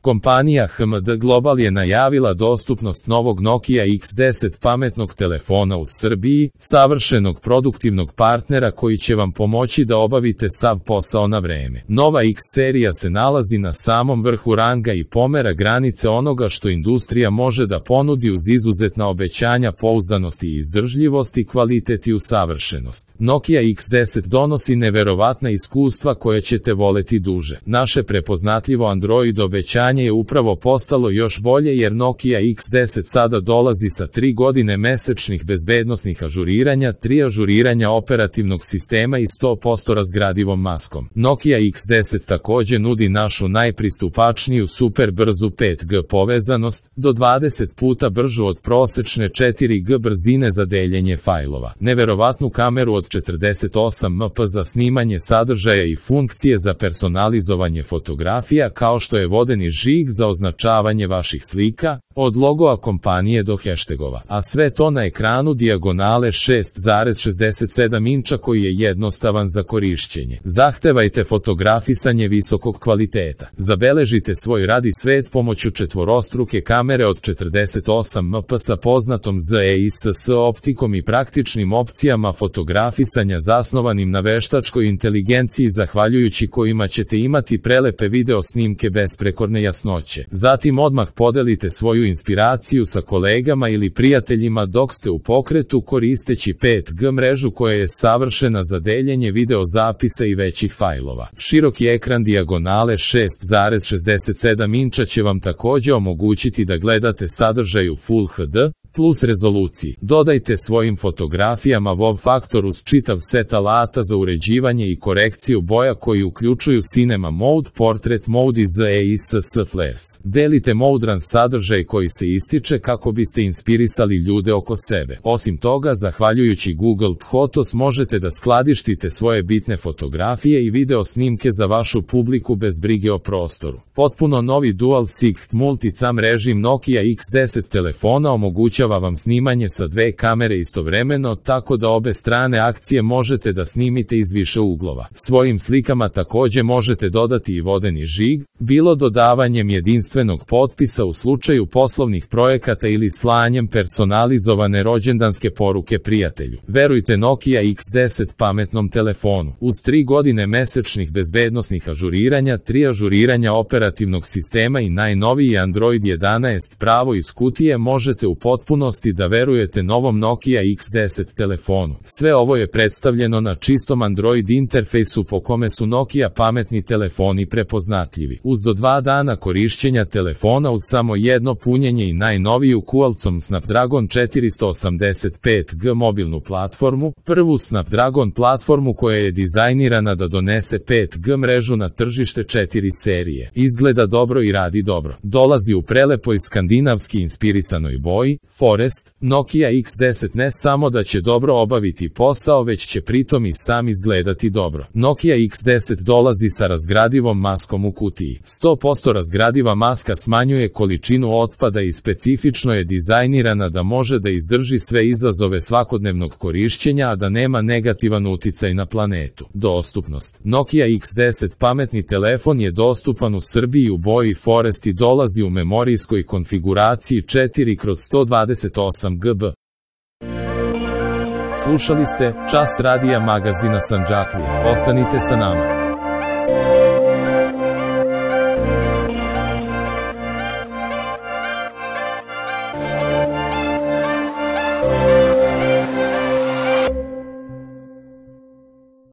Kompanija HMD Global je najavila dostupnost novog Nokia X10 pametnog telefona u Srbiji, savršenog produktivnog partnera koji će vam pomoći da obavite sav posao na vreme. Nova X serija se nalazi na samom vrhu ranga i pomera granice onoga što industrija može da ponudi uz izuzetna obećanja pouzdanosti i izdržljivosti, kvalitet i usavršenost. Nokia X10 donosi neverovatna iskustva koje ćete voleti duže. Naše prepoznatljivo Android obećanje je upravo postalo još bolje jer Nokia X10 sada dolazi sa 3 godine mesečnih bezbednosnih ažuriranja, 3 ažuriranja operativnog sistema i 100% razgradivom maskom. Nokia X10 takođe nudi našu najpristupačniju super brzu 5G povezanost, do 20 puta bržu od prosečne 4G brzine za deljenje fajlova, neverovatnu kameru od 48 MP za snimanje sadržaja i funkcije za personalizovanje fotografija kao što je vodeni žig za označavanje vaših slika, od logoa kompanije do hashtagova, a sve to na ekranu dijagonale 6,67 inča koji je jednostavan za korišćenje. Zahtevajte fotografisanje visokog kvaliteta. Zabeležite svoj rad i svet pomoću četvorostruke kamere od 48 MP sa poznatom ZEISS optikom i praktičnim opcijama fotografisanja zasnovanim na veštačkoj inteligenciji zahvaljujući kojima ćete imati prelepe video snimke besprekorne jasnoće. Zatim odmah podelite svoju inspiraciju sa kolegama ili prijateljima dok ste u pokretu koristeći 5G mrežu koja je savršena za deljenje video zapisa i većih fajlova. Široki ekran dijagonale 6,67 inča će vam takođe omogućiti da gledate sadržaj u Full HD plus rezoluciji. Dodajte svojim fotografijama wow faktor uz čitav set alata za uređivanje i korekciju boja koji uključuju Cinema Mode, Portrait Mode i ZEISS Flares. Delite modran sadržaj koji se ističe kako biste inspirisali ljude oko sebe. Osim toga, zahvaljujući Google Photos možete da skladištite svoje bitne fotografije i video snimke za vašu publiku bez brige o prostoru. Potpuno novi Dual Sight Multicam režim Nokia X10 telefona omogućava vam snimanje sa 2 kamere istovremeno, tako da obe strane akcije možete da snimite iz više uglova. Svojim slikama takođe možete dodati i vodeni žig, bilo dodavanjem jedinstvenog potpisa u slučaju poslovnih projekata ili slanjem personalizovane rođendanske poruke prijatelju. Verujte Nokia X10 pametnom telefonu. Uz 3 godine mesečnih bezbednosnih ažuriranja, 3 ažuriranja operativnog sistema i najnoviji Android 11 pravo iz kutije možete u potpunosti da verujete novom Nokia X10 telefonu. Sve ovo je predstavljeno na čistom Android interfejsu po kome su Nokia pametni telefoni prepoznatljivi. Uz do 2 dana korišćenja telefona uz samo jedno punjenje i najnoviju Qualcomm Snapdragon 485G mobilnu platformu, prvu Snapdragon platformu koja je dizajnirana da donese 5G mrežu na tržište 4 serije. Izgleda dobro i radi dobro. Dolazi u prelepoj skandinavski inspirisanoj boji, Forest. Nokia X10 ne samo da će dobro obaviti posao, već će pritom i sam izgledati dobro. Nokia X10 dolazi sa razgradivom maskom u kutiji. 100% razgradiva maska smanjuje količinu otpada i specifično je dizajnirana da može da izdrži sve izazove svakodnevnog korišćenja, a da nema negativan uticaj na planetu. Dostupnost. Nokia X10 pametni telefon je dostupan u Srbiji u boji Forest i dolazi u memorijskoj konfiguraciji 4/128 GB. Slušali ste Čas radija magazina Sandžaklija. Ostanite sa nama.